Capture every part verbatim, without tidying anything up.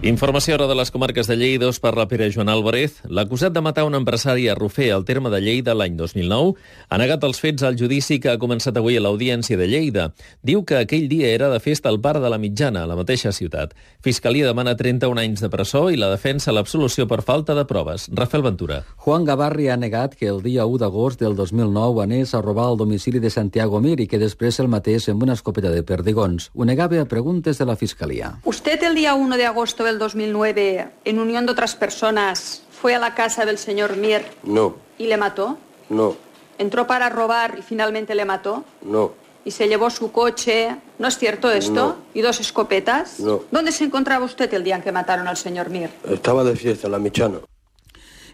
Informació ara de les comarques de Lleida, us parla Pere Joan Álvarez. L'acusat de matar un empresari a Rofer, al terme de Lleida, l'any dos mil nou, ha negat els fets al judici que ha començat avui a l'Audiència de Lleida. Diu que aquell dia era de festa al Parc de la Mitjana, a la mateixa ciutat. Fiscalia demana trenta-un anys de presó i la defensa l'absolució per falta de proves. Rafael Ventura. Juan Gavarri ha negat que el dia u d'agost del dos mil nou anés a robar el domicili de Santiago Mir i que després el matés amb una escopeta de perdigons. Ho negava a preguntes de la Fiscalia. Usted el día uno de agosto del dos mil nueve, en unión de otras personas, fue a la casa del señor Mir. No. ¿Y le mató? No. ¿Entró para robar y finalmente le mató? No. ¿Y se llevó su coche? ¿No es cierto esto? No. ¿Y dos escopetas? No. ¿Dónde se encontraba usted el día en que mataron al señor Mir? Estaba de fiesta en la Mitjana.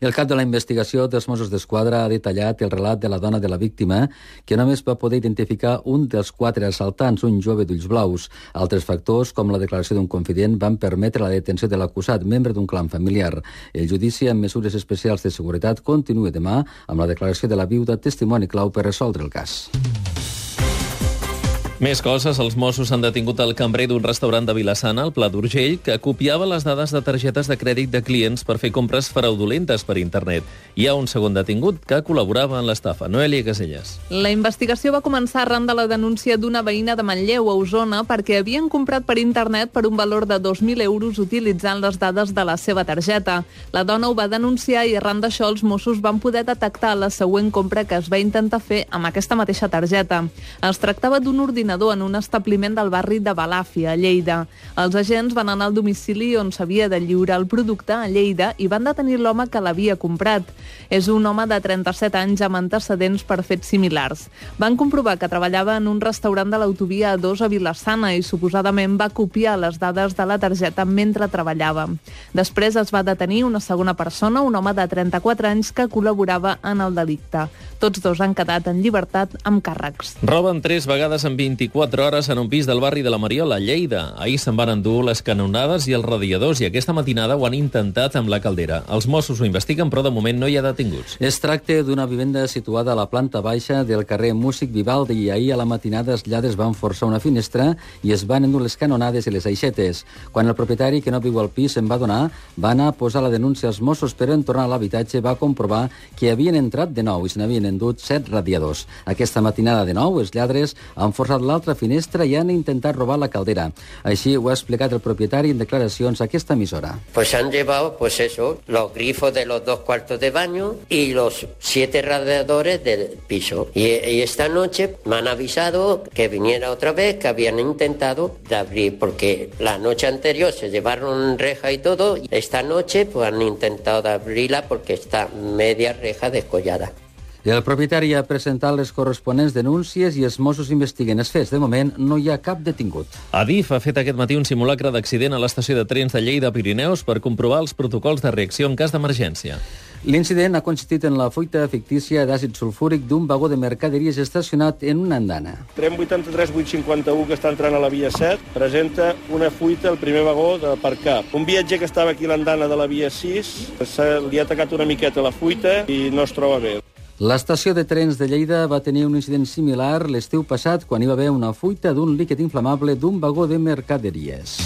El cap de la investigació dels Mossos d'Esquadra ha detallat el relat de la dona de la víctima, que només va poder identificar un dels quatre assaltants, un jove d'ulls blaus. Altres factors, com la declaració d'un confident, van permetre la detenció de l'acusat, membre d'un clan familiar. El judici amb mesures especials de seguretat continua demà amb la declaració de la viuda, testimoni clau per resoldre el cas. Més coses, els Mossos han detingut el cambrer d'un restaurant de Vilassana, al Pla d'Urgell, que copiava les dades de targetes de crèdit de clients per fer compres fraudulentes per internet. Hi ha un segon detingut que col·laborava en l'estafa. Noelia Caselles. La investigació va començar arran de la denúncia d'una veïna de Manlleu, a Osona, perquè havien comprat per internet per un valor de dos mil euros utilitzant les dades de la seva targeta. La dona ho va denunciar i arran d'això els Mossos van poder detectar la següent compra que es va intentar fer amb aquesta mateixa targeta. Es tractava d'un ordinador en un establiment del barri de Balàfia, a Lleida. Els agents van anar al domicili on s'havia de lliurar el producte, a Lleida, i van detenir l'home que l'havia comprat. És un home de trenta-set anys amb antecedents per fets similars. Van comprovar que treballava en un restaurant de l'autovia A dos a Vilassana i suposadament va copiar les dades de la targeta mentre treballava. Després es va detenir una segona persona, un home de trenta-quatre anys que col·laborava en el delicte. Tots dos han quedat en llibertat amb càrrecs. Roben tres vegades en vint-i-quatre hores en un pis del barri de la Mariola, a Lleida. Ahir se'n van endur les canonades i els radiadors i aquesta matinada ho han intentat amb la caldera. Els Mossos ho investiguen, però de moment no hi ha detinguts. Es tracta d'una vivenda situada a la planta baixa del carrer Músic Vivaldi i ahir a la matinada els lladres van forçar una finestra i es van endur les canonades i les aixetes. Quan el propietari, que no viu al pis, se'n va donar, va anar a posar la denúncia als Mossos, però en tornar a l'habitatge va comprovar que havien entrat de nou i se n'havien endut set radiadors. Aquesta matinada de nou, els lladres han forçat l'altra finestra i han intentat robar la caldera. Així ho ha explicat el propietari en declaracions a aquesta emissora. Pues han llevado, pues eso, los grifos de los dos cuartos de baño y los siete radiadores del piso. Y, y esta noche me han avisado que viniera otra vez, que habían intentado de abrir, porque la noche anterior se llevaron reja y todo. Esta noche pues han intentado de abrirla porque está media reja descollada. El propietari ha presentat les corresponents denúncies i els Mossos investiguen els fets. De moment, no hi ha cap detingut. Adif ha fet aquest matí un simulacre d'accident a l'estació de trens de Lleida Pirineus per comprovar els protocols de reacció en cas d'emergència. L'incident ha consistit en la fuita fictícia d'àcid sulfúric d'un vagó de mercaderies estacionat en una andana. Tren vuitanta-tres vuit cinquanta-u que està entrant a la via set presenta una fuita al primer vagó de per cap. Un viatger que estava aquí a l'andana de la via sis li ha atacat una miqueta la fuita i no es troba bé. L'estació de trens de Lleida va tenir un incident similar l'estiu passat quan hi va haver una fuita d'un líquid inflamable d'un vagó de mercaderies.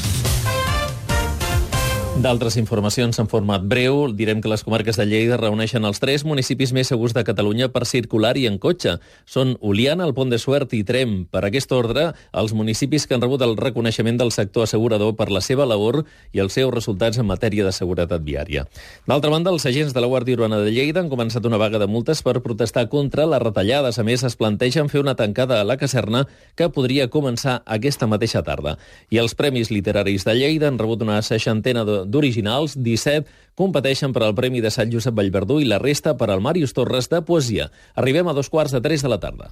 D'altres informacions en format breu. Direm que les comarques de Lleida reuneixen els tres municipis més segurs de Catalunya per circular i en cotxe. Són Oliana, el Pont de Suert i Tremp. Per aquest ordre, els municipis que han rebut el reconeixement del sector assegurador per la seva labor i els seus resultats en matèria de seguretat viària. D'altra banda, els agents de la Guàrdia Urbana de Lleida han començat una vaga de multes per protestar contra les retallades. A més, es plantegen fer una tancada a la caserna que podria començar aquesta mateixa tarda. I els Premis Literaris de Lleida han rebut una seixantena de d'originals, disset competeixen per al Premi de Sant Josep Vallverdú i la resta per al Màrius Torres de Poesia. Arribem a dos quarts de tres de la tarda.